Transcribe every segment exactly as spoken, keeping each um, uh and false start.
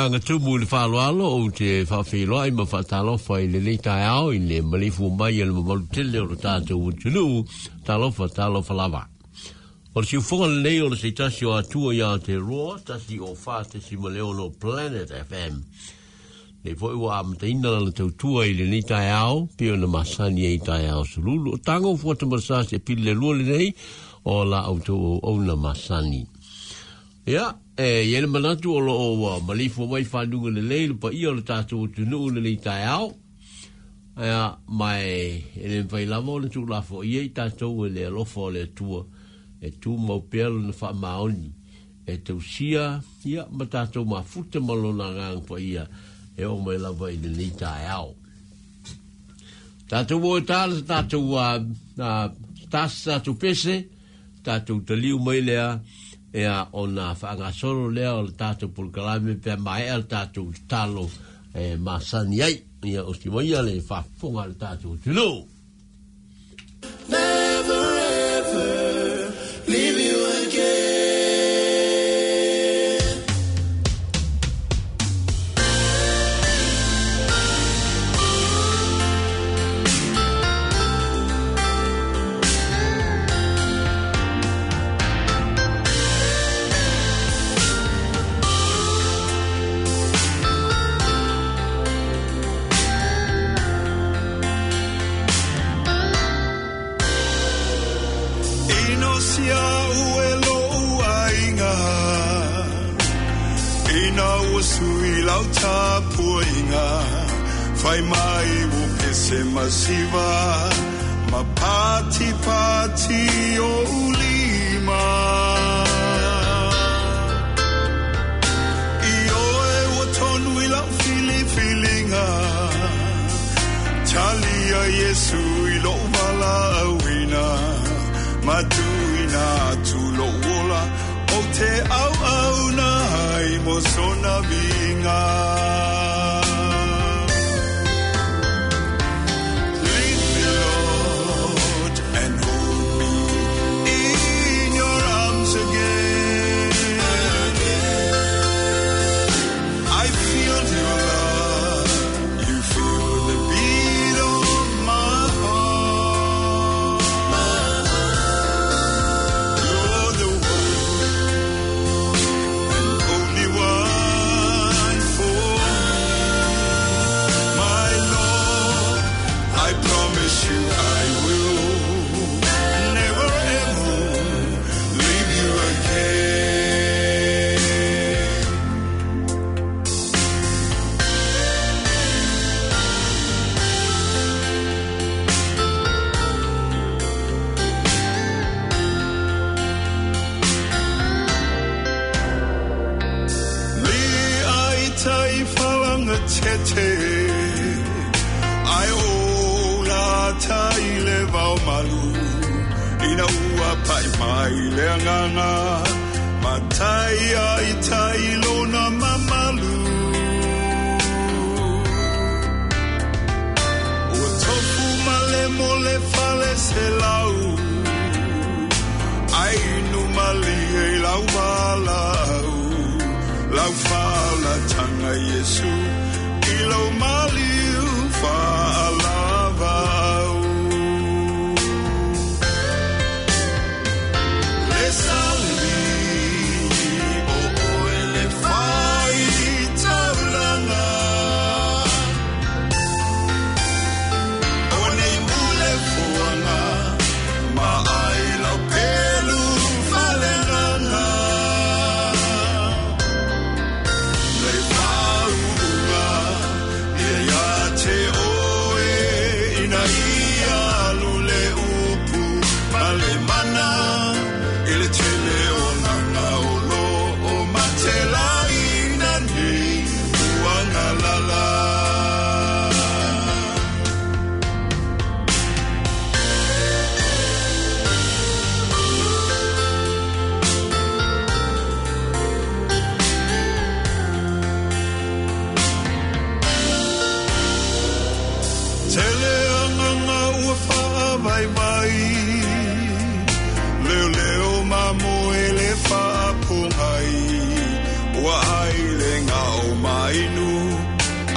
Aga tumu i le faaaloalo ou te faafeiloai ma faatalofa i lenei taeao i le maleifua mai e le mamalu tele o le tatou atunuu. Talofa, talofa lava. O le siufoga lenei o le seitasi o Atua ia Aotearoa, tasi o fa tesima le ono Planet F M. Nei foi ua amataina lana tautua i lenei taeao, pei ona masani ai taeao sululu. O tago fuata marasa se pili le lua lenei o la outou auauna masani. Ia, e i ai le manatu o loo ua maleifua mai fanuga lelei le paia o le tatou atunuu lenei taeao. Ia, ma e le mafai lava ona tuulafoaia i tatou e le alofa o le Atua e tumau pea lona faamaoni e tausia ia ma tatou mafuta ma lona agaga paia e oo mai lava i lenei taeao. Tatou o e tala sa tatou tasi tatou pese, tatou taliu mai lea, ea ona faagasolo lea o le tatou polokalame pe maea le tatou tatalo e masani ai. Ia o si maia le faafofoga a le tatou atunuu. Never ever leave you again. Fai mai o pese masiva ma pati pati o ulima. I oe ua tonu i lau filifilinga, talia Yesu i lou valaauina, matuina atu lou ola o te auauna ai mo sona viiga.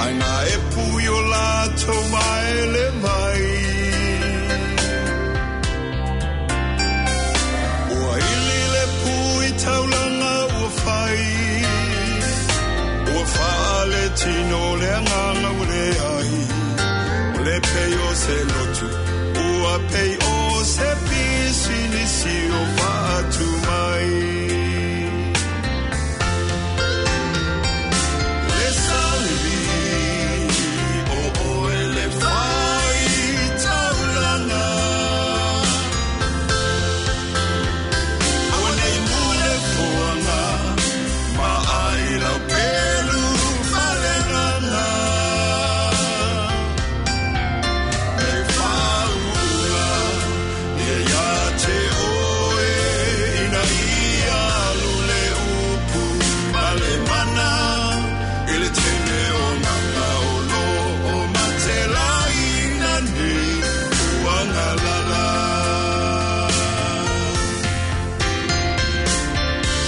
Ai na e pui o lātou maele mai. Ua ili le pui taulanga ua fai. Ua whaale tino le anganga ua le ai. O le pei o se lotu, ua pei o se pisi nisi o whaatu mai. Le salivi o oe le whai taulanga. Aua nei mule foanga, ma ai lau pelu whalenganga. Me whaunga, ia ia te oe, ina ia lule upu, ma le mana, i le tene o nganga o lo o matelai nani, uanga lala.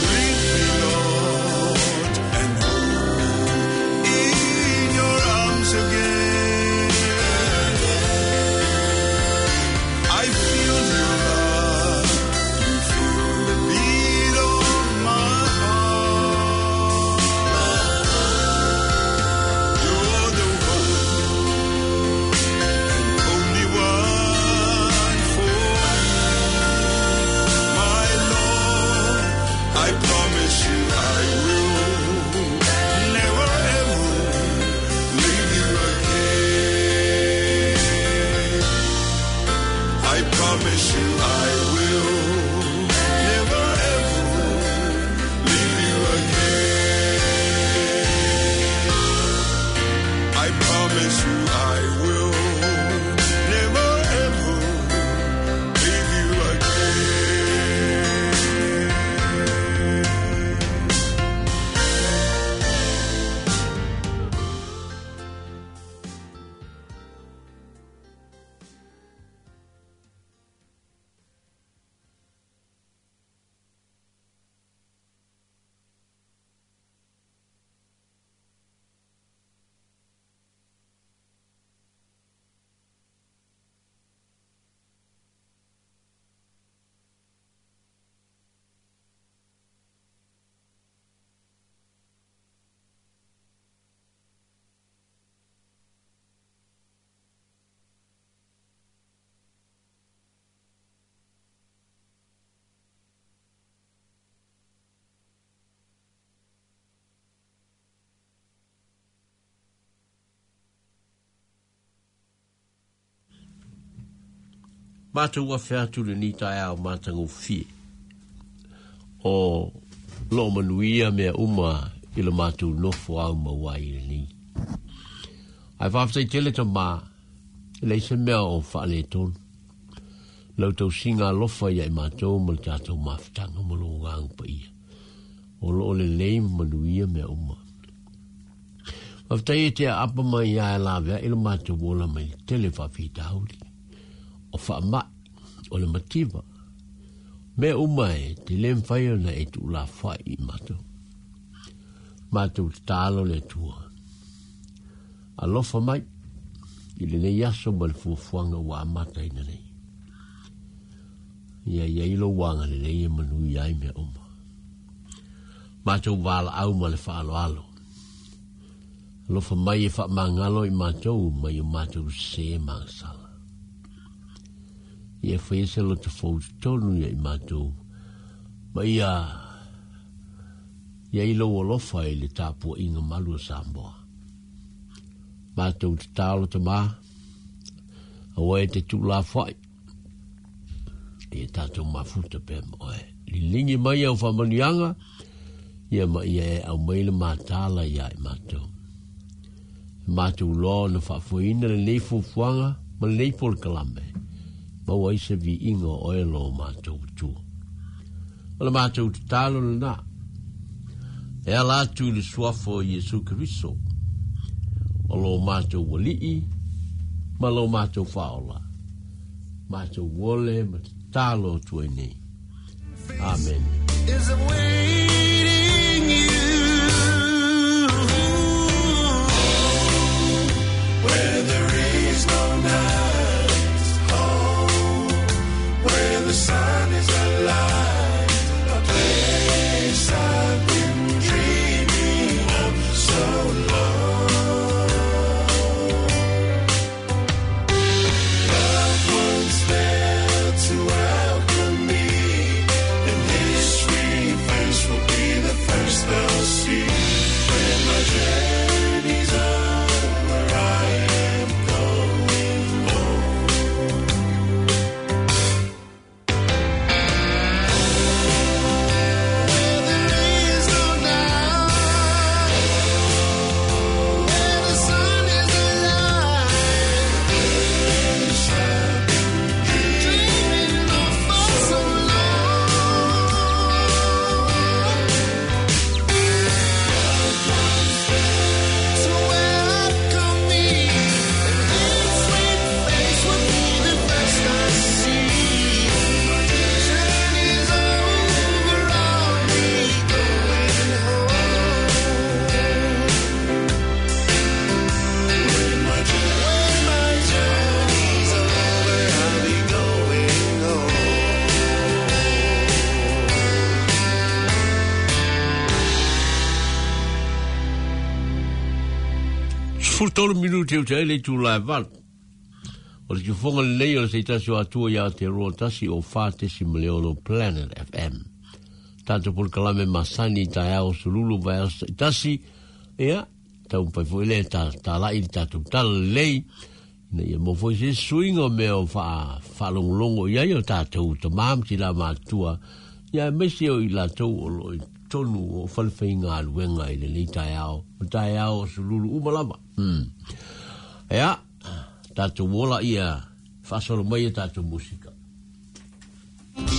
Lead me, Lord, and hold me in your arms again. I feel your love, you feel the beat of my heart. You're the one and only one for me, my Lord. I promise you I will never ever leave you again. I promise you I will never ever leave you again. I promise you I will never ever leave you again. Mātou ua wheatu le ni tae au mātango fie. O lo manuia mea uma i le mātou nofo au maua i le ni. Ai whawhtai tele ta mā, le se mea o whaale tonu. Lau tau singa alofa ia i mātou ma le tātou mawhitanga ma lo ngang pa ia. O lo le lei manuia mea uma. Whawhtai e te apa mai ia e lawea i le mātou wola mai tele whawhitauri. O whaamai, o le mativa. Mea uma e te le mwhai ona e tu la whai i mātou. Mātou te tālo le tua. Alofa mai, i le nei aso ma le fuafuanga ua amata ina nei. Ia ia ilo wanga le nei e manui ai mea uma. Mātou wala au ma le whaaloalo. Alofa mai e whaamangalo i mātou mai o mātou se mangsala. Ia whai se lo te fau tonu ia i mātou. Ma ia, ia ilo alofa i le tāpua inga malu o Samoa. Mātou te tālo te mā, awa e te tūla whai. Ia tātou mafuta pē ma oe. Lilingi mai au whamanianga, ia ma ia e au mai le mātāla ia i mātou. Mātou loa na whaafuina le nei fuafuaga ma le nei polokalame. Maua ai se viiga o oe lo mātou tua. O le mātou tatalo lenā. E ala atu i le suafa o Iesu Keriso. O lo mātou walii ma lo mātou whaola. Mātou wole ma tatalo atu ai nei. Amen. Is awaiting you. Sefulu tolu minute o te ai le itulā e valu. O le siufoga lelei o le seitasi o Atua ia Aotearoa tasi o fa tesima le ono Planet F M. Tatou polokalame masani i taeao sululu vaiaso taitasi, ia, taumafai foi lea ta talai le tatou tala lelei, ina ia maua foi se suiga o mea o faalogologo i ai o tatou tamā ma tinā matutua, ia aemaise o i latou o loo i totonu o falefaigaluega i lenei taeao, o taeao o sululu uma lava. Hmm. Ia, tatou ola ia faasolo mai e tatou musika. Ua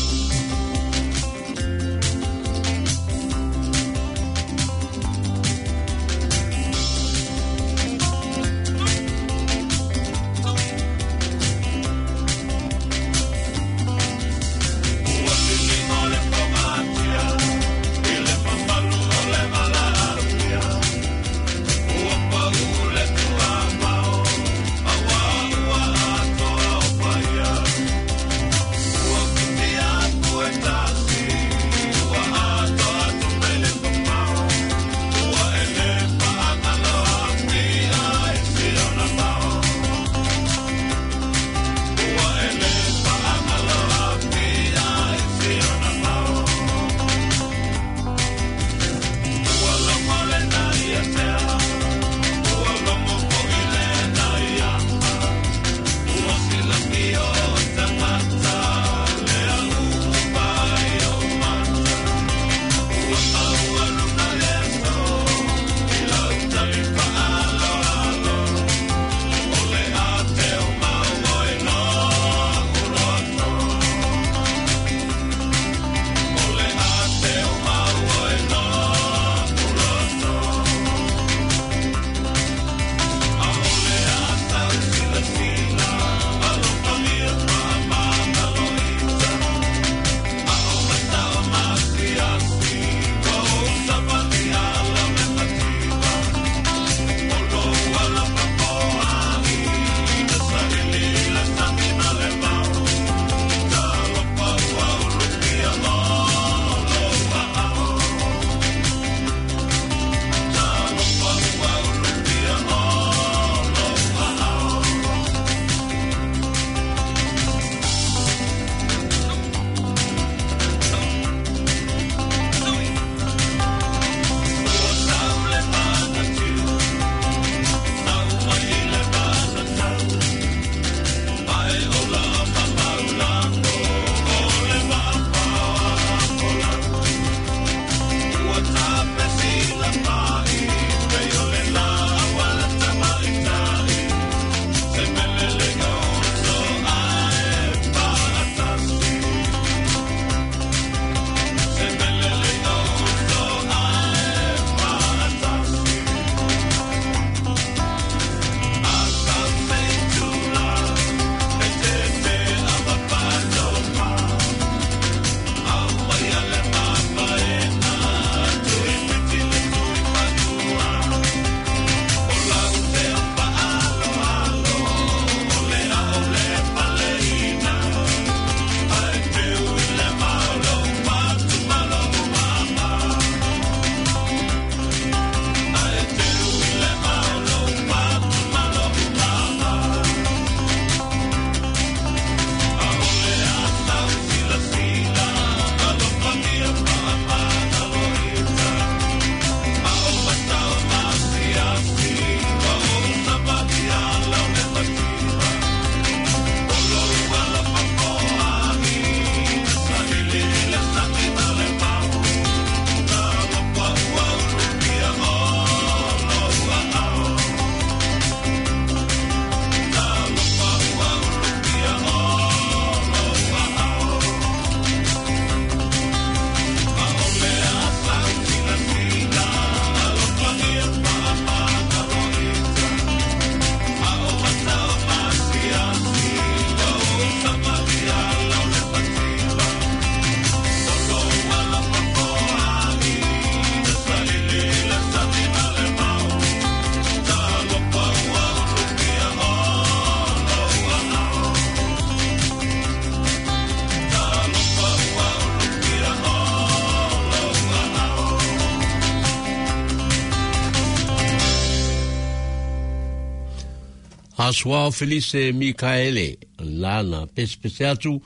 Asuao Felice Mikaele, lana pesepese atu,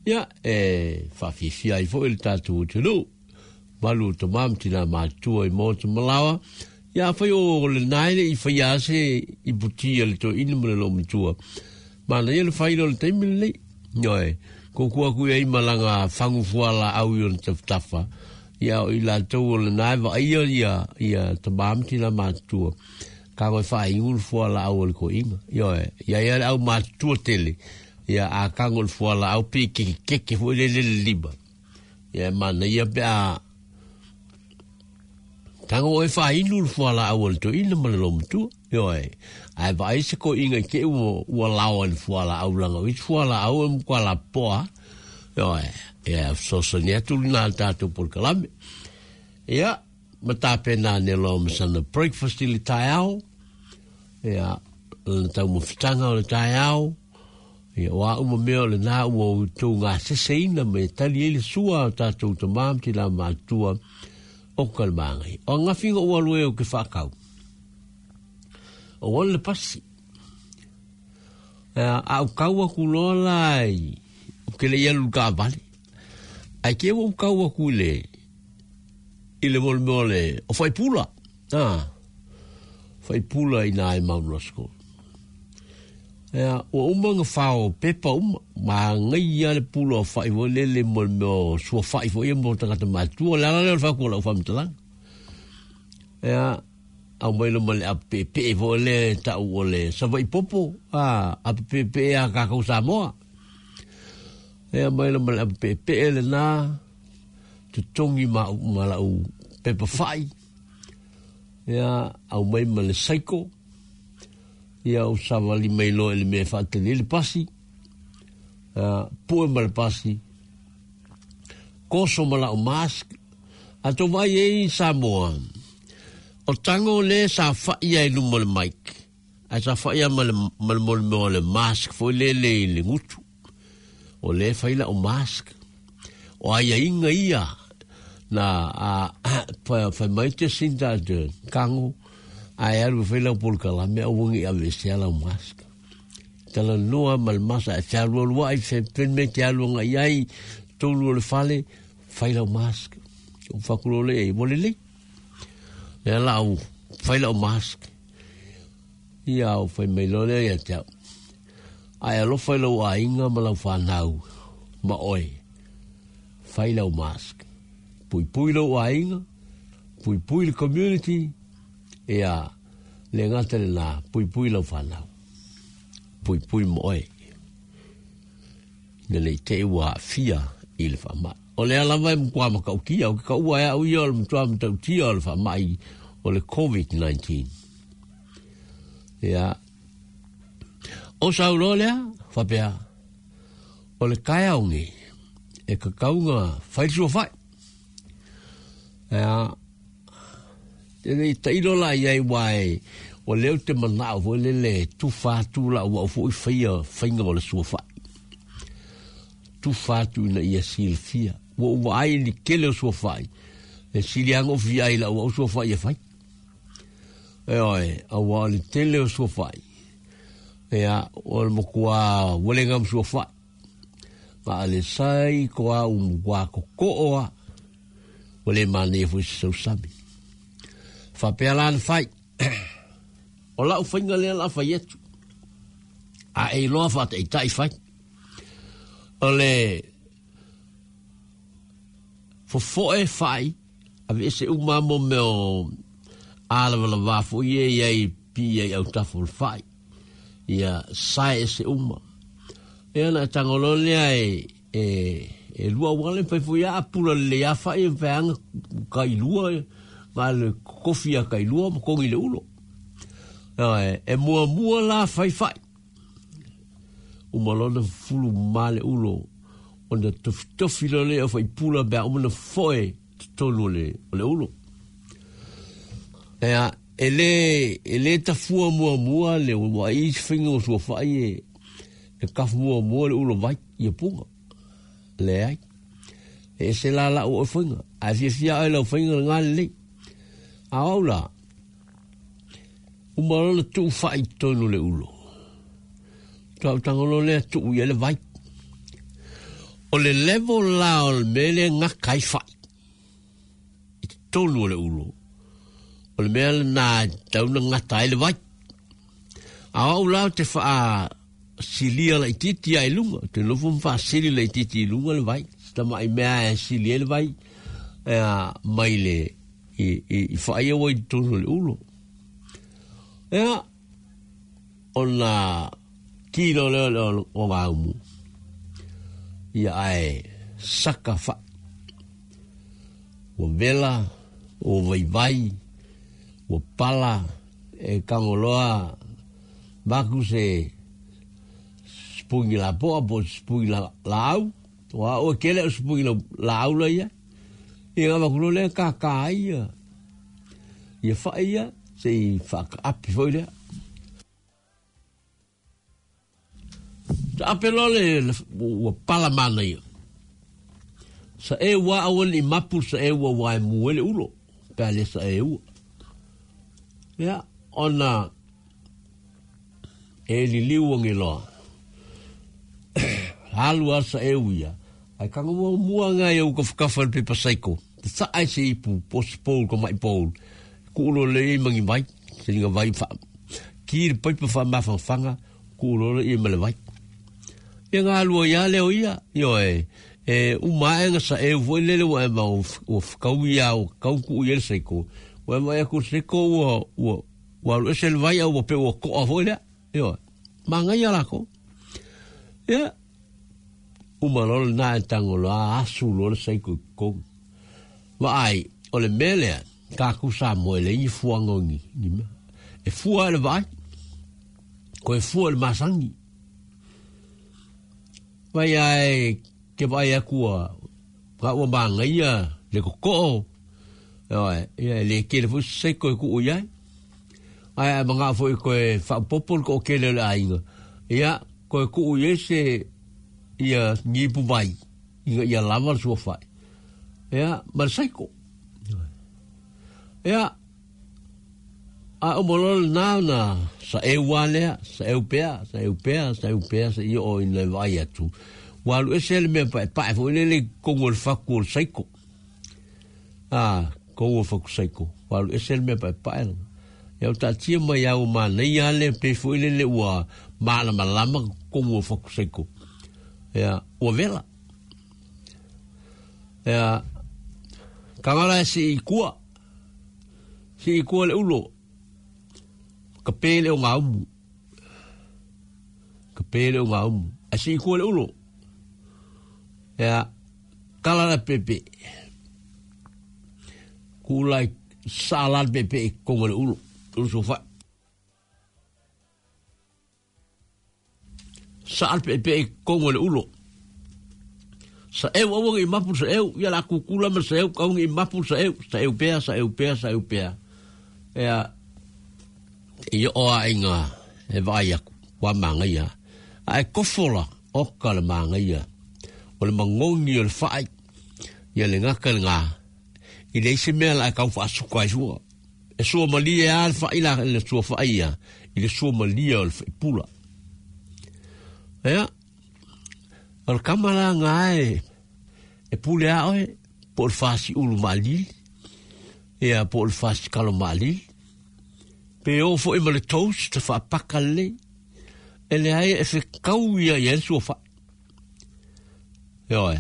ia e faafifia ai foʻi le tatou atunuu. Malu tamā ma tinā matua i maota malaoa, ia afai o lenā e leʻi faia ase i putia le toeaina ma le loomatua. Manaia le faila o le taimi lenei. Ioe, kōkua aku i ai malaga fagu fualaau i ona tafatafa, ia o i latou o lenā e vaaia ia, ia tamā ma tinā matua. Kago e faaigu le fualaau o le koiga. Ioe, ia ia le au matua tele, ia a kago le fualaau pe kekekeke foʻi le lele lima. Ia e manaia pe a tago oe faainu le fualaau a le toeaina ma le loomatua. Ioe, ae vaai se koiga i te i ua, ua laoa i le fualaau laga o isi fualaau e matua lapopoa. Ioe, ia fesoasoani atu lenā le tatou polokalame. Ia, ma tapena ane loa ma sana breakfast i le taeao. Ia, lana taumafataga o le taeao. Ia, o a uma mea o lenā ua outou gaseseina ma e tali ai le sua a o tatou tamā ma tinā matutua o Kalemagai. O agafiga ua alu ai ou ke faakau. O ona le pasi. Ia, a ou kau aku loa la i, ou ke leʻi alu i le kaavale. Ae ke ua ou kau aku i le, i le mole mea o le, o Faipula. Ah, Faipula i nā e Mount Roskill. Ia, ua uma ona fao pepa uma, manaia le pula o fa'i foi lele mo le mea o suafa'i foi ia mo tagata matutua. O le ala lea o le fautua o lau faamatalaga. Ia, aumai loa ma le apapeepee foi lea e ta'u o le Savaii popo, a, apapeepee a kākou Samoa. Ia, aumai loa ma le apapeepee lenā, totogi ma au ma la'u pepa fa'i. Ia, aumai ma le saiko. Ia, ou savali mai loa i le mea e faatali ai le pasi. Ia, pue ma le pasi. Koso ma la'u mask. A tou vaai ai i Samoa, o tago lea sa fa'i ai i luma o le mic, ae sa fa'i lava ma le, ma le mole mea o le mask foi lele i le gutu. O lea e fai la'u mask. O aiaiga ia na a, fai mai Jacinda Ardern, kago, ae alu e fai lau polokalame aua ne i aveesea lau mask. Talanoa ma le masa ae fealualuaʻi fe mea e te alu agai ai tolu o le fale, fai lau mask. Ou fai atu loa lea i ai, ua lelei. Lea la au fai lau mask. Ia ou fai mai loa lea ia te au. Ae alofa i lou aiga ma lau fanau ma oe. Fai lau mask. Puipui lou aiga, puipui le community, ia le gata lenā, puipui lau fanau. Puipui ma oe. Ina nei te i ua aafia i le faamai. O lea lava e matua matautia, o ke kaua e au ia o le matua matautia o le faamai o le COVID nineteen. Ia, o sau loa lea, faapea, o le taeao nei, e tatau ona fai le suafa'i. Ia, e le i tailo la i ai uā e, o lea ou te manao foi lele e tufa atu la'u au fo'i faia faiga o le suafa'i. Tufa atu ina ia silafia. Ua ou vaai i le tele o suafa'i, e sili lava ona ou fia ai i la'u au suafa'i e fai. Ioe, auā o le tele o suafa'i, ia, o le matuā ua le gama suafa'i. Ma a le sai ko au matuā totoo lava, ua le manaia foi se sausami. Faapea la ona fai. O la'u faiga lea o le a fai atu. A e iloa faataitai fai. O le fofo'e fa'i, aveese uma lava mo mea o alavalava foi e i ai pipii ai autafa o le fa'i. Ia sae ese uma. Ia ona e tago loa lea e, e, e lua auala e mafai foi lava a pula lelei lava fa'i e mafai lava ona tailua, na o le kofi lava tailua ma togi le ulo. Ioe, e muamua la fai fa'i. Uma loa ona fufulu mama le ulo, ona tofitofi loa lea o faipula pe a uma ona foe totonu o le, o le ulo. Ia, e le, e le tafua muamua le ua i isi faiga o suafa'i e, e tafu muamua le ulo vai ia puga. Leai. E ese la la'u oe faiga. Ae fiafia oe i lau faiga lenā lelei. A o au la, uma loa ona tuu fa'i i totonu o le ulo. Tau tangolo lea tuu ia le vai. O le level la o le mele ngā kai whai. I te tolu o le ulo. O le mea nā tauna ngata ai le vai. A au lao te wha silia la ititi ai lunga. Te nofo mwha sili la ititi i lunga le vai. Tama i mea e silia le vai. Ea mai le i, i, i whaia wai tolu o le ulo. Ea ona kilo leo leo o ngā umu. Ia ae saka wha. Ua vela, ua vaivai, ua pala, e kangoloa, maku se spungi la poa, po spungi la, la au, ua ua kele o spungi la, la au la ia. Ia ngā makulo lea kākā ia. Ia wha ia, se i whakaapi foi lea. Ta ape loa le ua pala mana ia. Sa e ua awan i mapu sa e ua wae muele ulo. Pea le sa e ua. Ia, ona e liliu ange loa. Halu a sa e uia. Ai kanga mua mua ngai au kawhakafa le pepa saiko. Te sa ai se ipu, posi pōl ko mai pōl. Kuulo le i mangi vai. Se linga vai wha. Ki le paipa wha mawhangwhanga. Kuulo le i male vai. Ia ngā lua ia leo ia, io e, e umaenga sa e ufo lele ua e mau ua whakau ia o kau ku ia le seiko. Ua e mai aku seiko ua, ua, ua alu ese le vai au ua pe ua koa fo lea, io e, maa ngai alako. Ia, umalola nā e tango loa asu loa le seiko i kongi. Ma ai, o le melea, kāku sa moe le ingi fuanga o ngi, ngi mea. E fua e le vai, ko e fua le masangi. Vai ai ke vai aku ka ua mangaia le kokoo. Ia le kele fo seiko e ku ia. Ai ai manga fo ko e whapopo ko kele le ainga. Ia ko e ku ia se ia ngipu vai. Ia ia lava le sua whai. Ia ma le seiko. Ia a o mololo nā na sa e ua lea, sa e upea, sa e upea, sa e upea, sa i o ina vai atu. Walu ese le mea pae pae fo ile le kongo le faku o le saiko. Ah, kongo le faku saiko. Walu ese le mea pae pae. Ia o tātia mai au mānei ale pe fo ile le ua mālama lama kongo le faku saiko. Ia, ua vela. Ia, kangala e si i kua. Si i kua le ulo. Ka pele o ngā umu. Ka pele o ngā umu. A si kua le ulo. Ea, kala la pepe. Kula i sala le pepe i konga le ulo. Ulo sofa. Sa le pepe i konga le ulo. Sa eu awangi i mapu sa eu. Ia la kukula ma sa eu. Kawangi i mapu sa eu. Sa eu pea, sa eu pea, sa eu pea. Ea, i oa inga e vai aku wa mangaia a e kofola o ka le mangaia o le mangongi o le whai ia le ngaka le ngā i le isi mea la e kau whaasuka ai sua e sua malia a le whai la le sua whai ia i le sua malia o le whai pula ea o le kamala ngā e e pule a oe po o le whaasi ulu maalili ia po o le whaasi kalo maalili pe o fo i ma le toast te whaapaka le e le ai e whekau ia ia le sua wha. Ioe,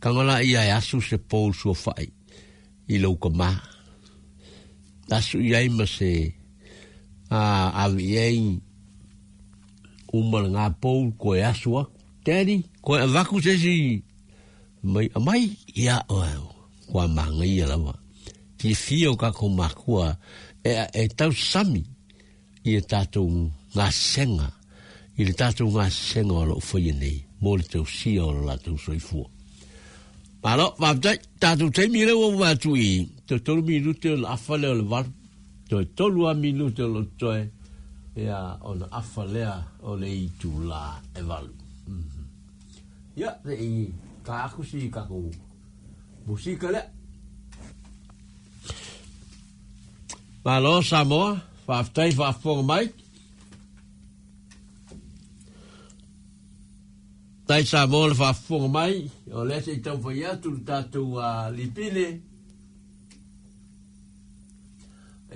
kangala ia e asu se pōl sua whai i lauka mā. Asu ia i ma se a awi ei uma le ngā pōl ko e asu aku. Daddy, ko e avaku se si mai amai ia oe kua māngai ia lawa. Ki whio kako makua e, e tau sami i e tātou ngā senga, i le tātou ngā senga o loo whaia nei, mō le tau sia o lo lātou soifua. Malo, wāptai, tātou teimi leo o wātu i, te tolu minute o le afa leo le valu, te tolu a minute o lo toe, ea o na afa lea o le itu la e valu. Mm-hmm. Ia, te i ka aku si kako musika lea. Malo, Samoa, whaaftai, whaafonga mai. Tai sa mo le faafofoga mai, o lea se i taumafai atu le tatou lipine.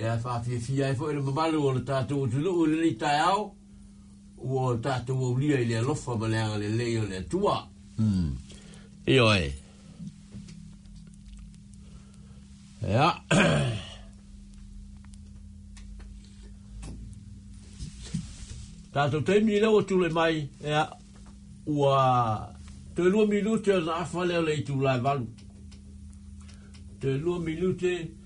Ia faafiafia ai foi le mamalu o le tatou atunuu i lenei taeao, ua tatou aulia i le alofa ma le agalelei o le Atua. Mm. Ioe. Ia. Tatou taimi lea ua tulai mai, ia, ua toe lua minute ona afa lea o le itula e valu. Toe lua minute.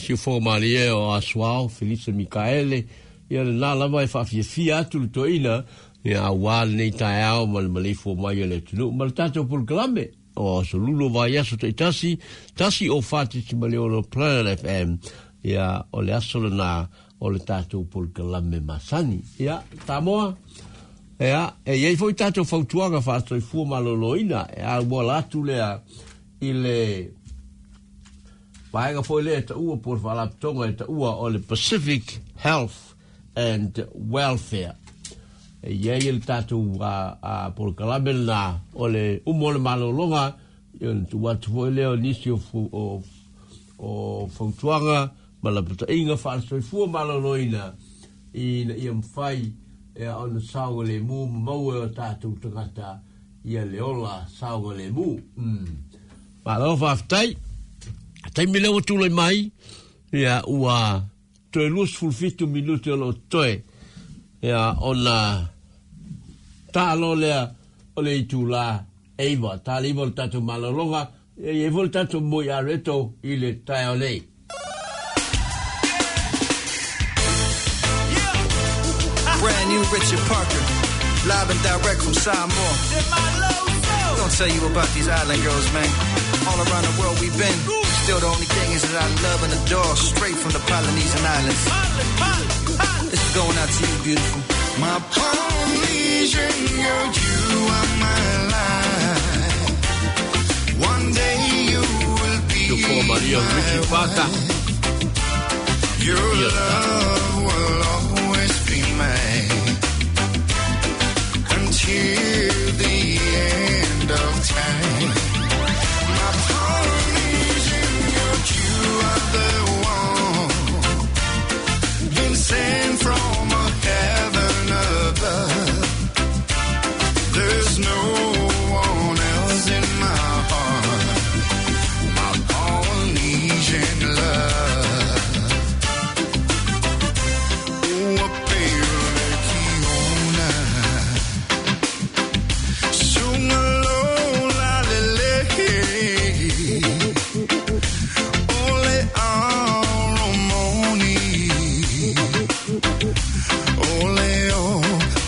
Siufoga malie o Asuao, Felisa Mikaele, ia le nā lava e faafiafia atu le toeaina, ia auā lenei taeao ma le maleifua mai o le atunuu ma le tatou polokalame o aso lulu o vaiaso taitasi, tasi o fa tesimale ono Planet F M, ia o le aso lenā o le tatou polokalame masani. Ia, Samoa, Ia, e iai foi tatou fautuaga faasoifua malōlōina e auala atu lea i le vaega foi lea e taua po o le faalapotopotoga e taua o le Pacific Health and Welfare. E iai le tatou polokalame lenā o le uma o le malōlōga, ona tuu atu foi lea o nisi o, o, o fautuaga ma lapataiga faalesoifua malōlōina ina ia mafai ia ona saogalemu ma maua e o tatou tagata ia le ola saogalemu. Mm. Malo faafetai. Taimi lea ua tulai mai, ia ua toe luasefulu fitu minute o loo totoe ia ona taalo lea o le itulā eiva, ta le iva o le tatou malologa, e iai foi le tatou moi areto i le taeao nei. Brand new Richard Parker, live and direct from Samoa. Gonna tell you about these island girls, man. All around the world we've been. Still the only thing is that I love and adore, straight from the Polynesian Islands. This is going out to you, beautiful. My Polynesian girl, you are my life. One day you will be my Richard Parker. Your love will always be mine until the end of time. My Polynesian girl, you are the one been sent from a heaven above. There's no one else in my heart, my Polynesian love. Ua pele kiona, sunga lola lele, ole aromoni, ole o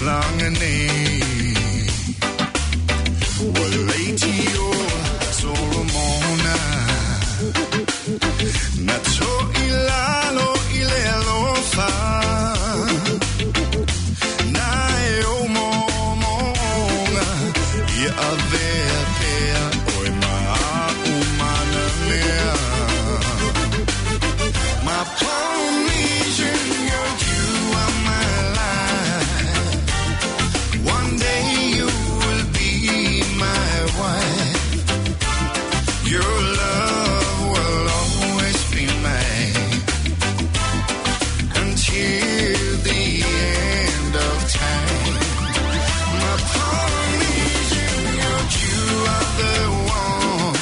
langane. Waleitio Solomona, na to ilalo ile alofa, na e o momonga, ia avea pea oe maau mea. My Polynesian girl, you are my life. One day you will be my wife. Your love will always be mine until the end of time. My Polynesian girl, you are the one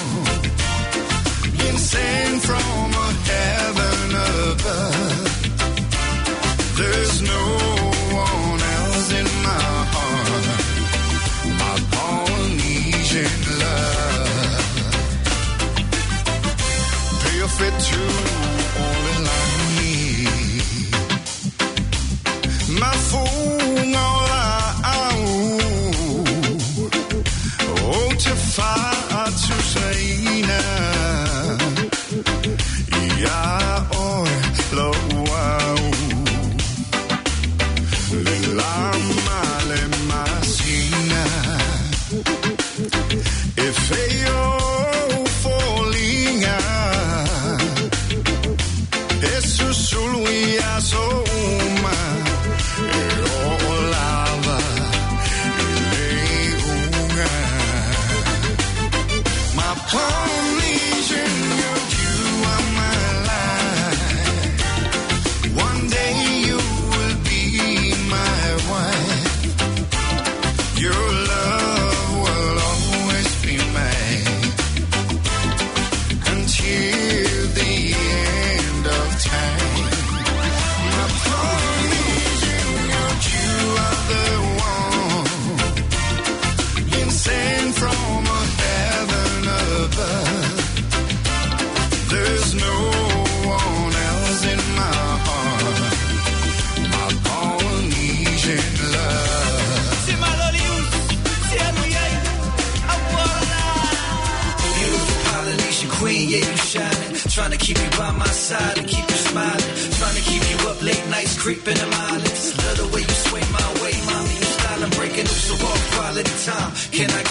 been sent from a heaven above. There's no one else in my heart, my Polynesian love. Perfect to all lani, mafunga la au, o te fa'atu saina, ia oe lo au. Le lama le masina, e feio folinga, e susulu ia souma, e o lava e le unga. My Polynesian girl, you are my life. One day you will be my wife. Your love will always be mine until the end of time. My Polynesian girl, you are the one been sent from a heaven above. There's no one else in my heart, my Polynesian love. Beautiful Polynesian queen, yeah, you shining. Trying to keep you by my side and keep you smiling. Trying to keep you up late nights, creeping and miling. Love the way you sway my way, mommy, you styling, breaking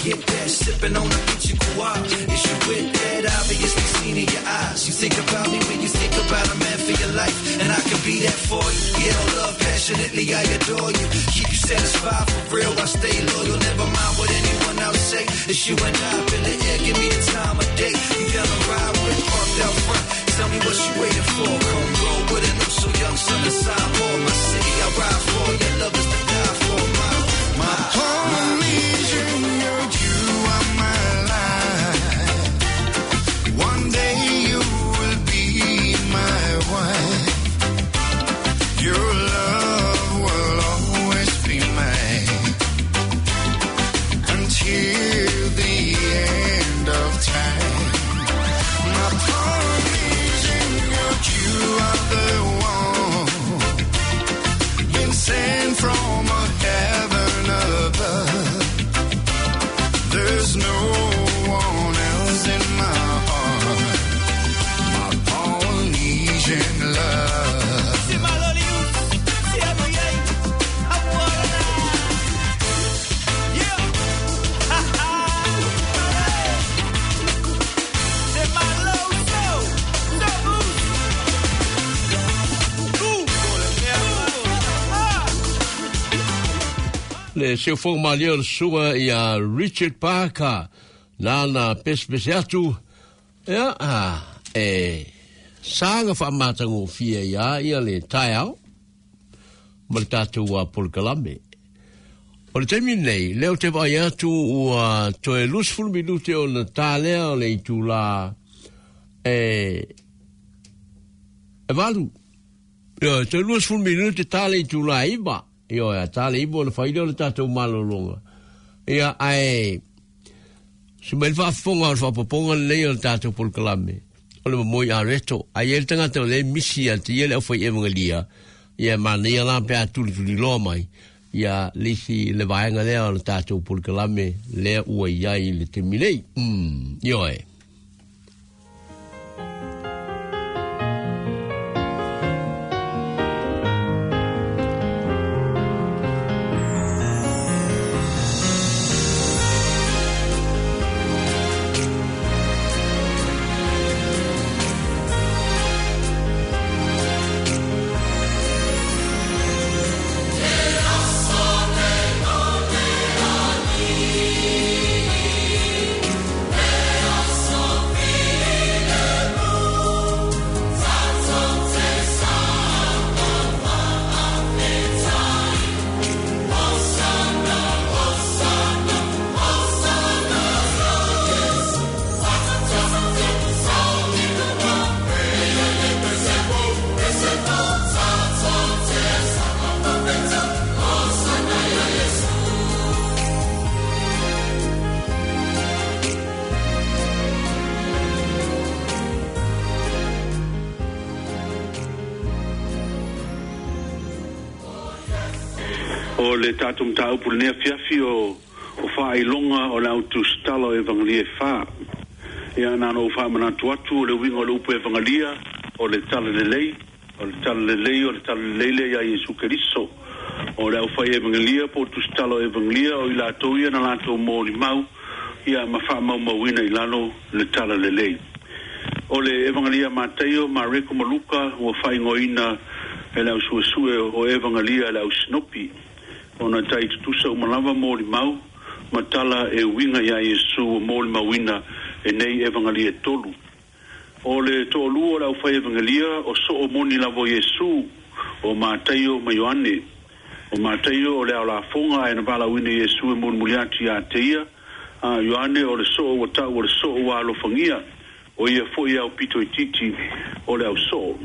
get that. Sipping on a peachy guava. Is you with that? Obviously seen in your eyes. You think about me when you think about a man for your life, and I can be that for you. Yeah, love passionately, I adore you. Keep you satisfied for real, I stay loyal. Never mind what anyone else say. It's you and I up in the air, give me the time of day. You down the ride with parked out front. Tell me what you waiting for. Come roll with an oh so young son of Samoa. My city, I ride for. Your love is to die for. My, my, Polynesian, you are my life. One day you will be my wife. Your love will always be mine until the end of time. My Polynesian, you are the one been sent from a heaven above. There's no one else in my heart. My Polynesian love. Le seu malia o le suga ia Richard Parker nana pesepese atu ia a e saga faamatagofia ia ia le taeao ma le tatou polokalame. O le taimi lenei lea ou te vaai atu ua toe luasefulu minute ona ta lea o le itulā e e valu. Ia toe luasefulu minute ta le itulā iva. Ioe, a ta le iva o le faile o le tatou malologa. Ia ae se mai le faafofoga o le faapopoga lenei o le tatou polokalame o le momoi areto. Ai e le tagata o le misi a te ia le aufai evangelia ia manaia la pe a tulituliloa mai ia le isi le vaega lea o le tatou polokalame lea ua iai i le taimi nei. Mm, ioe. O le tatou mataupu lenei afiafi o o faailoga o le autusitala o evangelia e fā. Ia na ona ou faamanatu atu o le uiga o le upu evangelia o le talalelei, o le talalelei, o le talalelei lea iā Iesu Keriso. O le aufai evangelia po o tusitala o evangelia o i latou ia na latou molimau ia ma faamaumauina i lalo le talalelei. O le evangelia Mataio, Mareko ma Luka ua faaigoaina e le ausuesue o evangelia e le ausinopi. Ona tai tutusa uma lava molimau ma tala e uiga iā Iesu ua molimauina e nei evangelia e tolu. O le toalua o le aufai evangelia o soo moni lava o Iesu o Mataio ma Ioane. O Mataio o le aolafoga ae na valaauina Iesu e mulimuli atu iā te ia. A Ioane o le soo ua ta'u o le soo ua alofagia o ia fo'i au pito itiiti o le ausoo.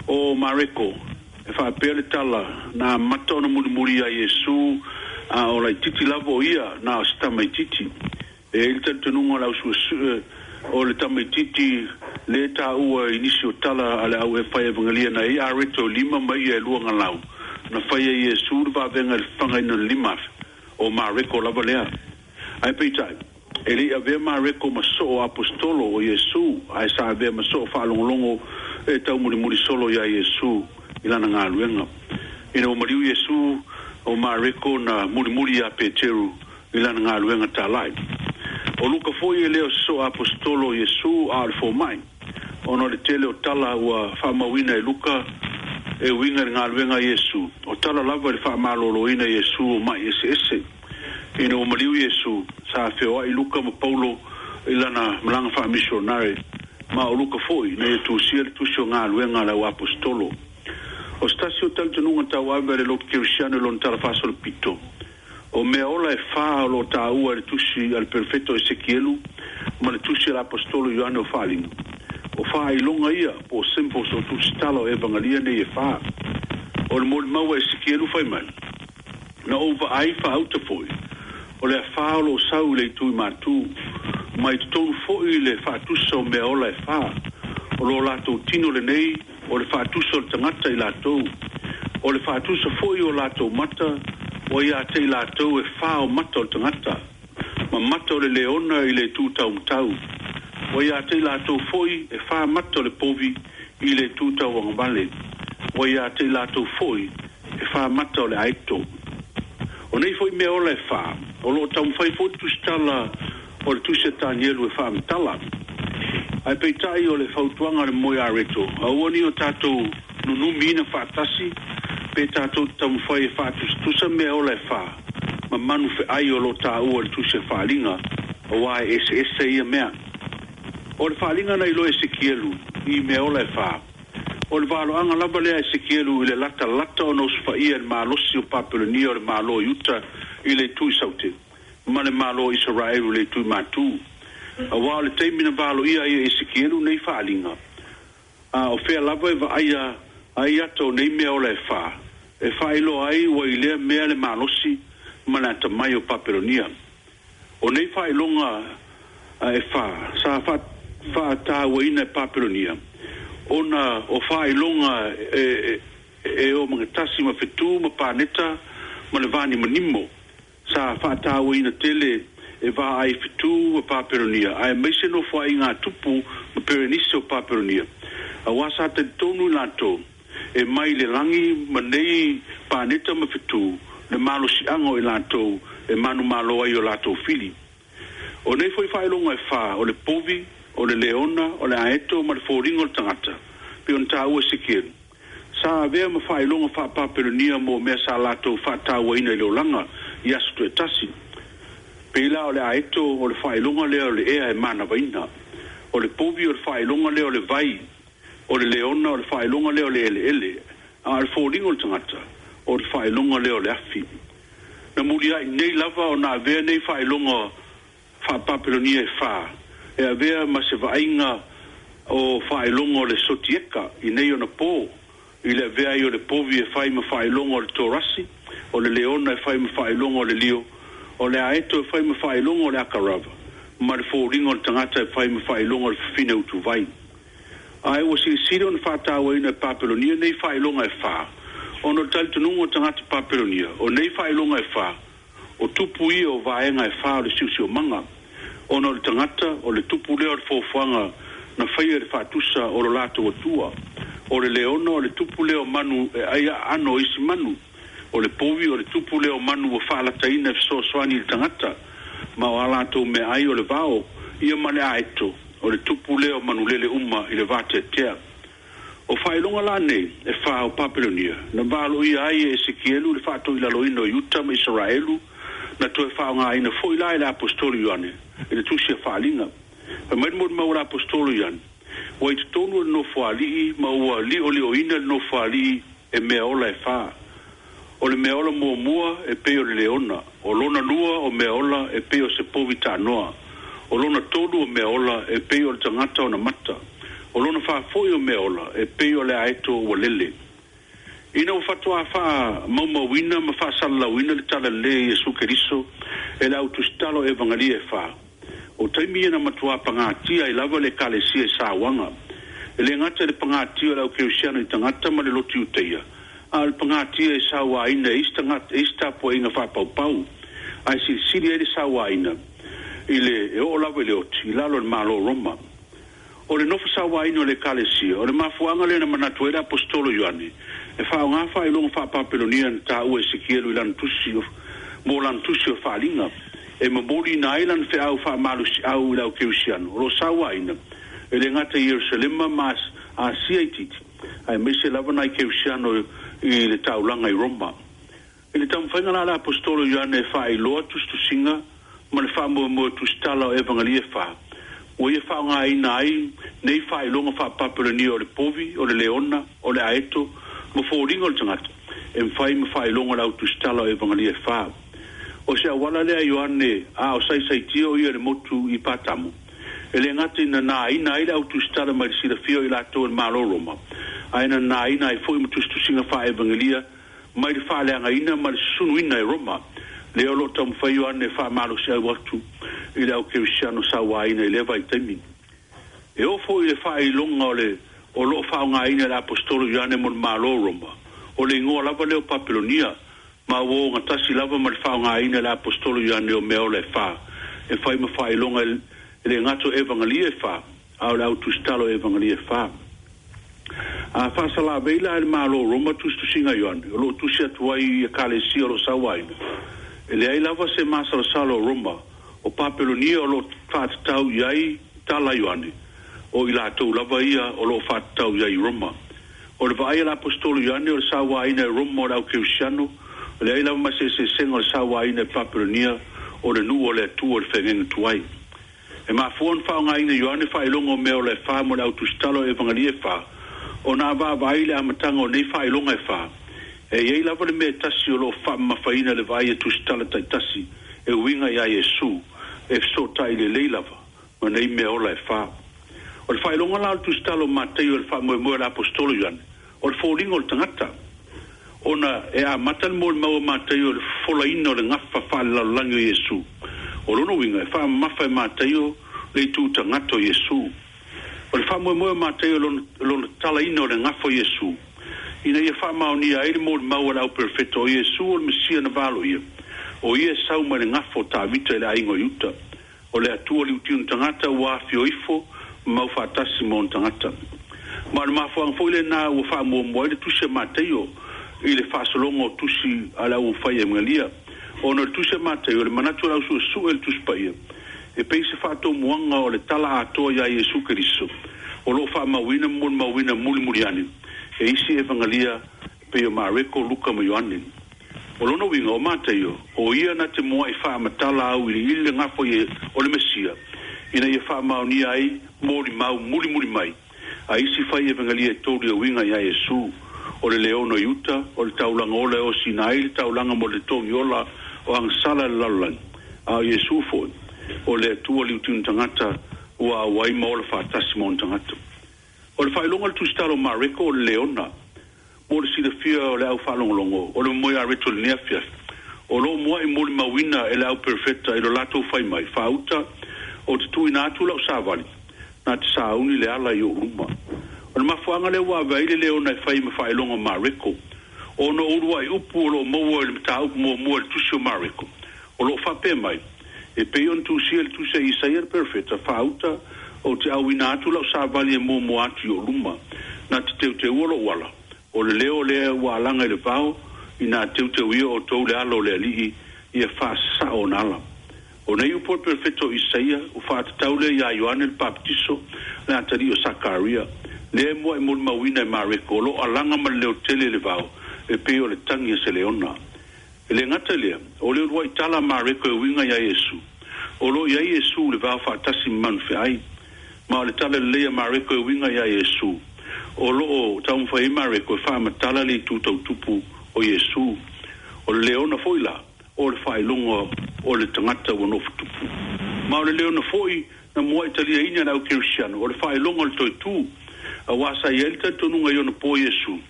O Mareko e faapea le tala na amata ona mulimuli iā Iesu a o laititi lava o ia na o se tamaititi. E ai le talitonuga o le ausuesue o le tamaititi le taua i nisi o tala a le au e fai evangelia na ai areto lima ma ia e lua galau na faia Iesu le vavega i le fafagaina o le lima afe o Mareko lava lea. Ae peitai e le'i avea Mareko ma soo apostolo o Iesu ae sa avea ma soo faalogologo e taumulimuli solo iā Iesu i lana galuega. Ina ua maliu Iesu o Mareko na mulimuli iā Peteru I lana galuega talai. O Luka foi e le o se soo aposetolo o Iesu a o le fomai, ona o le tele o tala ua faamauina e Luka e uiga i le galuega a Iesu, o tala lava i le faamalōlōina e Iesu o ma'i eseese. Ina ua maliu Iesu, sa feoa'i Luka ma Paulo i lana malaga faamisionare, ma o Luka foi na ia tusia le tusi o galuega a le au aposetolo. O se tasi o talitonuga tauave a le lotu kerisiano i lona tala faasolopito, o mea ola e fā o loo taua i le tusi a le perofeta o Esekielu ma le tusi a le aposetolo Ioane o Faaliga, o faailoga ia po o symbols o tusitala o evagalia nei e fā. O le molimau a Esekielu fai mai, na ou vaai faauta foi, o le afā o loo sau i le itu i matū, mai totonu foi le faatusa o mea ola e fā, o lo latou tino lenei o le faatusa o le tagata i latou, o le faatusa foi o latou mata ua ia te i latou e fā o mata o le tagata, ma mata o le leona i le itu taumatau, ua ia te i latou foi e fā mata o le povi i le itu tauagavale, ua ia te i latou foi e fā mata o le aeto. O nei foi mea ola e fā, o loo taumafai foi le tusitala o le tusi a Tanielu e faamatala. Ae peitai o le fautuaga a le moe areto, aua ne i o tatou nunumiina faatasi pe tatou te taumafai e faatusatusa mea ola e fā ma manu feai o loo taua i le tusi a Faaliga, auā e eseese ia mea. O le faaliga na iloa e Esekielu i mea ola e fā, o le valoaga lava lea a Esekielu i le latalata ona osofaia e le malosi o Papelonia o le Malo o Iuta i le itu i saute ma le Malo o Isaraelu i le itu i matū. Auā o le taimi na valoia ai e Esekielu nei faaliga, a o fea lava e vaaia ai ata o nei mea ola e fā, e faailoa ai ua i lea mea le malosi ma le atamai o Papelonia. O nei faailoga e fā sa faatauaina e Papelonia, ona o faailoga e, e, e o magatasi ma fetū ma paneta ma le vanimonimo sa faatauaina tele e vaai fetū ma Papelonia, aemaise nofoaiga a tupu ma Perenise o Papelonia, auā sa talitonu i latou e mai le lagi ma nei paneta ma fetū le malosiaga o i latou e manumalo ai o latou fili. O nei foi faailoga e fā, o le povi, o le leona, o le aeto ma le foliga o le tagata, pei ona taua e Esekielu, sa avea ma faailoga faa-Papelonia mo mea sa latou faatauaina i le olaga i aso toetasi. Pei la o le aeto o le faailoga lea o le ea e manavaina, o le povi o le faailoga lea o le vai, o le leona o le faailoga lea o le eleele, a o le foliga o le tagata o le faailoga lea o le afi. Na muliai nei lava ona avea nei faailoga faa-Papelonia e fā e avea ma se vaaiga o faailoga o le sotieka i nei ona pō, i le avea ai o le povi e fai ma faailoga o le torasi, o le leona e fai ma faailoga o le lio, o le aeto e fai ma faailoga o le akarava, ma le foliga o le tagata e fai ma faailoga o le fafine utuvai. Ae ua silisili ona faatauaina e Papelonia nei faailoga e fā, ona o le talitonuga o tagata Papelonia, o nei faailoga e fā, o tupu ia o vaega e fā o le siosiomaga, ona o le tagata o le tupu lea o le foafoaga na faia i le faatusa o lo latou atua, o le leona o le tupu lea o manu e ai aano o isi manu, o le povi o le tupu lea o manu ua faalataina e fesoasoani i le tagata, ma o a latou meaai o le vao, ia ma le aeto, o le tupu lea o manulele uma i le vateatea. O faailoga la nei e fā o Papelonia, na valoia ai e Esekielu le faatoilaloina o Iuta ma Isaraelu, na toe faaaogaina foi la e le aposetolo Ioane i le tusi a Faaliga. Fai mai le molimau a le aposetolo Ioane, ua i totonu o le nofoalii ma ua liolioina le nofoalii e mea ola e fā. O le mea ola muamua e pei o le leona, o lona lua o mea ola e pei o se povi tanoa, o lona tolu o mea ola e pei o le tagata ona mata, o lona fā foi o mea ola e pei o le aeto ua lele. Ina ua faatoā faamaumauina ma faasalalauina le talalelei a Iesu Keriso e le au tusitala o Evagalia e fā, o taimi ia na matuā pagatia ai lava le Ekalesia i sauaga. E le gata i le pagatia o le au kerisiano i tagata ma le lotu Iutaia, a o le pagatia e sauaina e isi tagata e isi tapuaiga faapaupau, ae silisili ai le sauaina i le e oo lava i le oti i lalo o le Malo o Roma. O le nofo sauaina o le Ekalesia, o le mafuaaga lea na manatu ai le aposetolo Ioane e faaaogā faailoga faa-Papelonia na taua e Esekielu i lana tusi mo lana tusi o Faaliga. E momoli na ai lana feau faamalosiau i le au kerisiano o loo sauaina e le gata i Ierusalema ma Asia itiiti, aemaise lava nai kerisiano i le taulaga i Roma. I le taumafaiga la a le Aposetolo Ioane e faailoa tusitusiga ma le faamoemoe tusitala o Evagalia e fā, ua ia faaaogāina ai nei faailoga faapapelania o le povi, o le leona, o le aeto ma foliga o le tagata e mafai ma faailoga o le au tusitala o Evagalia e fā. O se auala lea a Ioane a o saisaitia o ia i le motu i Patamo, e le gata ina nāina ai le au tusitala mai le silafia o i latou e le Malo o Roma, ae na nāina ai foi ma tusitusiga faa-evangelia mai le faaleagaina ma le susunuina e Roma, lea o lo o taumafai Ioane e faamalosiau atu i le au kerisiano sauaina i lea vaitaimi. E oo foi i le faailoga o le o lo o faaaogaina e le Aposetolo Ioane mo le Malo o Roma, o le igoa lava lea o Papelonia, ma ua ogatasi lava ma le faaaogaina e le Aposetolo Ioane o mea ola e fā, e fai ma faailoga e le gata o Evagalia e fā, a o le au tusitala o Evagalia e fā. A faasalavei la e le Malo o Roma tusitusiga a Ioane, o lo o tusi atu ai i Ekalesia o lo o sauaina, e leai lava se masalosalo o Roma, o Papelonia o lo o faatatau i ai tala a Ioane, o i latou lava ia o lo o faatatau i ai i Roma. O le vaai a le Aposetolo Ioane o le sauaina e Roma o le au kerisiano, e leai lava ma se eseesega o le sauaina e Papelonia o le nuu o le Atua i le feagaiga tuai. E mafua ona faaaogaina e Ioane faailoga o mea ola e fā mo le au tusitala o Evagalia e fā, ona a vaavaai i le amataga o nei faailoga e fā, e i ai lava le mea e tasi o lo o faamamafaina i le vaai a tusitala taitasi e uiga iā Iesu, e fesootai lelei lava ma nei mea ola e fā. O le faailoga la o le tusitala o Mataio i le faamoemoe a le Aposetolo Ioane, o le foliga o le tagata, ona e amata le molimau a Mataio i le fofolaina o le gafa faalelalolagi o Iesu. O lona uiga, e faamamafa e Mataio le itu tagata o Iesu. O le faamoemoe o Mataio i lona, lona talaina o le gafa o Iesu, ina ia faamaonia ai le molimau a le auperofeta o Iesu o le Mesia na valoia, o ia e sau mai le gafa o Tavita i le aiga o Iuta, o le Atua liutiuna tagata ua afio ifo ma mau faatasi ma ona tagata. Ma o le mafuaaga foi lenā ua faamuamua ai le tusi a Mataio i le faasologa o tusi a le auofai evangelia, ona o le tusi a Mataio, o le manatu o le ausuesue i le Tusi Paia, e pei se faatomuaga o le tala atoa iā Iesu Keriso, o lo o faamauina ma molimauina mulimuli ane e isi evangelia e pei o Mareko, Luka ma Ioane. O lona uiga, o Mataio, o ia na te mua'i faamatala auiliili le gafa o le Mesia, ina ia faamaonia ai molimau mulimuli mai a isi fai evangelia e tolu e uiga iā Iesu, o le leona o Iuta, o le taulaga ola e osina ai le taulaga mo le togi ola o agasala i le lalolagi, a o Iesu foi, o le Atua liutiuna tagata ua auai ma ola faatasi ma ona tagata. O le faailoga o le tusitala o Mareko o le leona, mo le silafia o le au faalogologo o le momoe areto i lenei afiafi, o lo o mua'i molimauina e le au perofeta i lo latou fai mai, Faauta, ou te tuuina atu lau savali, na te sauni le ala i ou luma. O le mafuaaga lea ua ave ai le leona e fai ma faailoga o Mareko, ona o uluai upu o lo o maua i le mataupu muamua i le tusi o Mareko, o lo o faapea mai, E pei ona tusia i le tusi a Isaia le perofeta, Faauta, ou te auina atu lau savali e muamua atu i ou luma, na te teuteua lou ala, o le leo lea ua alaga i le vao, inā teuteuia outou le ala o le Alii, ia faasasao ona ala. O nei upu a le perofeta o Isaia, ua faatatau lea iā Ioane le Papatiso, le atalii o Sakaria, lea e mua'i molimauina e Mareko, o lo o alaga ma le leo tele i le vao, e pei o le tagi a se leona. E le gata i lea, o le uluai tala a Mareko e uiga iā Iesu, o lo o i ai Iesu i le vao faatasi ma manufeai. Ma o le tala lelei a Mareko e uiga iā Iesu, o lo o taumafai ai Mareko e faamatala le itu tautupu o Iesu. O le leona foi la, o le faailoga o le tagata ua nofo tupu. Ma o le leona foi na mua'i taliaina e le au kerisiano, o le faailoga o le toe tu, auā sa i ai le talitonuga i ona po Iesu,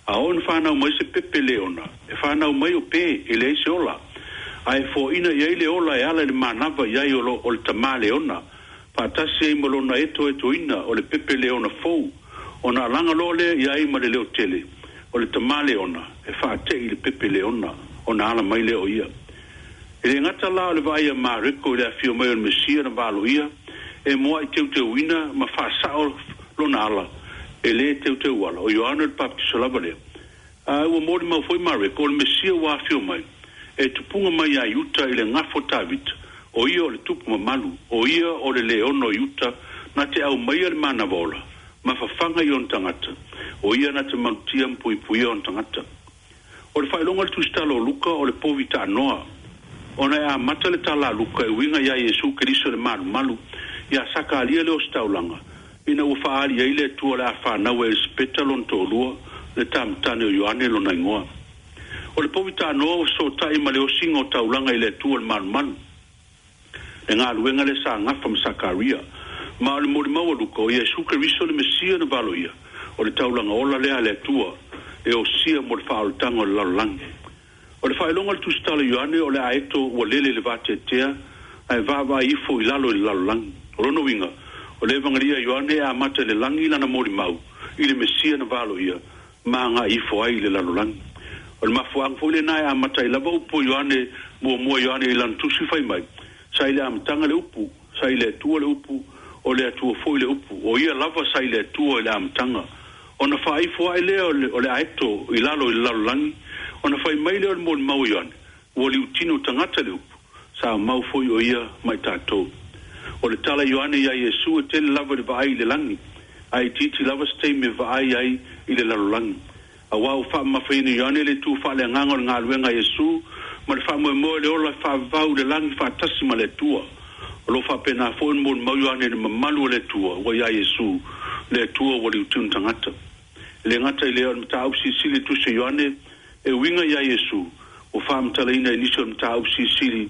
a oo ina fanau mai se pepe leona, e fanau mai o pe, e leai se ola. A e foaina i ai le ola e ala i le manava i ai o lo o le tamā leona, faatasi ai ma lona etoetoina o le pepe leona fou, ona alaga loa lea i ai ma le leo tele o le tamā leona e faate'i i le pepe leona, ona ala mai lea o ia. E le gata la o le vaai a Mareko i le afio mai o le Mesia na valoia, e mua'i teuteuina ma faasa'o lona ala, e lē teuteu ala, o Ioane o le Papatiso lava lea. A ua molimau foi Mareko, o le Mesia ua afio mai, e tupuga mai iā Iuta i le gafa o Tavita, O ia o le tupu mamalu, o ia o le leono i uta, na te au mai le manavola, ma fafaga i ona tagata, o ia na te malutia ma puipuia ona tagata. O le faailoga le tusitala o Luka o le povi taanoa, ona e amata le tala a Luka e uiga iā Iesu Keriso le malumalu, ia Sakalia le ositaulaga, ina ua faaali ai le Atua o le a fanau e Elisapeta lona toalua, le tamatane o Ioane lona igoa. O le povi taanoa ua fesoatai ma le osiga o taulaga i le Atua le malumalu, le galuega le sa gafa ma Sakaria, ma o le molimau a Luka o Iesu Keriso le Mesia na valoia, o le taulaga ola lea a le Atua, e osia mo le faaolataga o le lalolagi. O le faailoga le tusitala Ioane o le aeto ua lele le vateatea, ae vaavaai ifo i lalo i le lalolagi. O lona uiga, o le Evagalia Ioane e amata i le lagi lana molimau, i le Mesia na valoia, ma agai ifo ai i le lalolagi. O le mafuaaga foi lenā e amata ai lava upu o Ioane, muamua Ioane i lana tusi fai mai, sa i le amataga le upu, sa i le Atua le upu, o le Atua foi le upu, o ia lava sa i le Atua i le amataga. Ona faaifo ae lea o le, o le aeto i lalo i le lalolagi, ona fai mai lea o le molimau Ioane, ua liutino tagata le upu, sa mau foi o ia mai tatou. O le tala Ioane ia Iesu e tele lava le vaai i le lagi, ae itiiti lava se taimi e vaai ai i le lalolagi. Auā ua faamamafaina Ioane le tu faaleagaga o le galuega a Iesu, ma le faamoemoe le ola faavavau le lagi faatasi ma le Atua. O lo faapenā foi le molimau Ioane i le mamalu o le Atua, ua iā Iesu, le Atua ua liutino tagata. E le gata i lea o le mataupu silisili tusi Ioane, e uiga iā Iesu, ua faamatalaina i nisi o le mataupu silisili,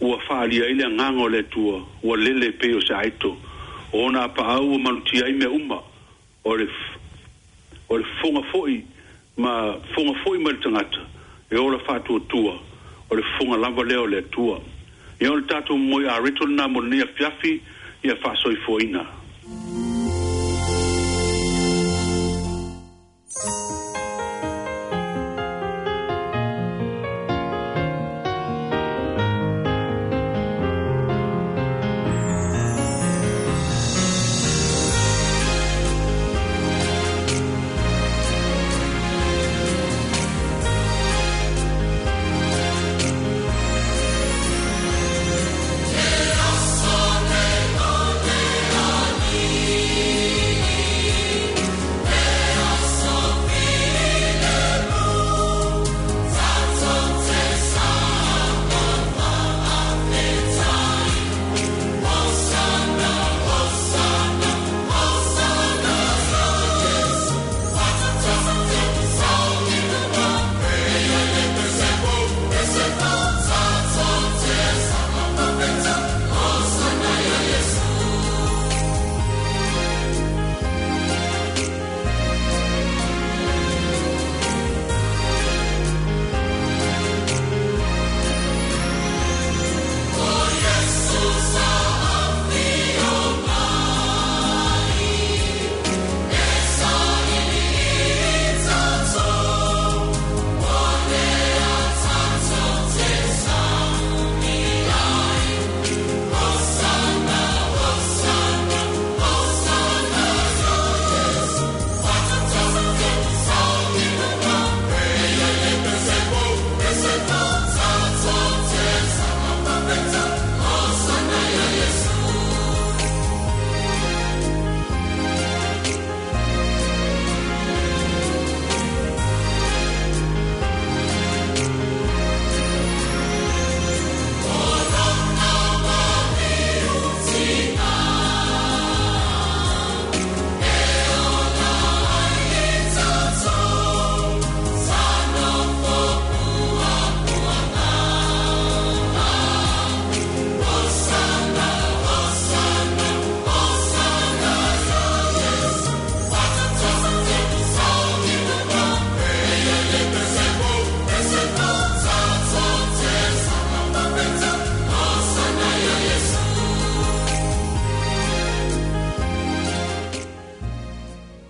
ua faalia ai le agaga o le Atua, ua lele pei o se aeto. O ona apaau ua malutia ai mea uma, o le, o le fofoga foi ma fofoga foi mai le tagata, e ola faatuatua, o le fofoga lava lea o le Atua. Ia o le tatou moe areto lenā mo lenei afiafi, ia faasoifuaina.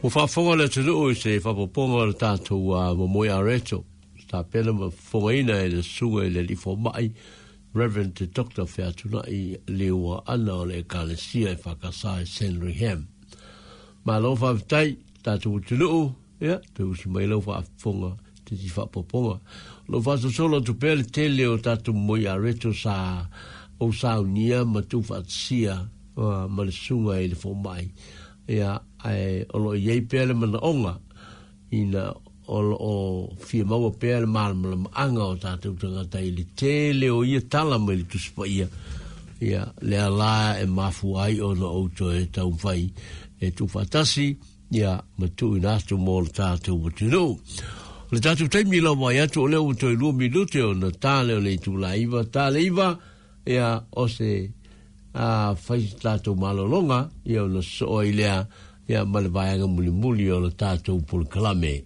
Ua faafofoga le atunuu i se faapopoga o le tatou momoe areto, tapena ma fofogaina e le susuga i le alii fomai, Reverend Doctor Featunai Liua Ana o le Ekalesia e Whakasa e Sandringham. Malo faafetai tatou atunuu, ia, toe usi mai lau faafofoga te ti faapopoga. Lo faasosolo atu pea le tele o tatou momoe areto sa Ou saunia ma tuufaatasia ma le susuga i le fomai. Ia ae o loo iai pea le manaoga ina o loo fia maua pea le malamalamaaga o tatou tagata i le tele o ia tala mai le Tusi Paia. Ia lea la e mafua ai ona ou toe taumafai e tuufaatasi ia ma tuuina atu mo le tatou atunuu. O le tatou taimi lava ai atu o lea ua toe lua minute ona ta lea o le itula iva, ta le iva, ia o se a fai tatou malologa, ia ona sosoo ai lea ia ma le vaega mulimuli o le tatou polokalame.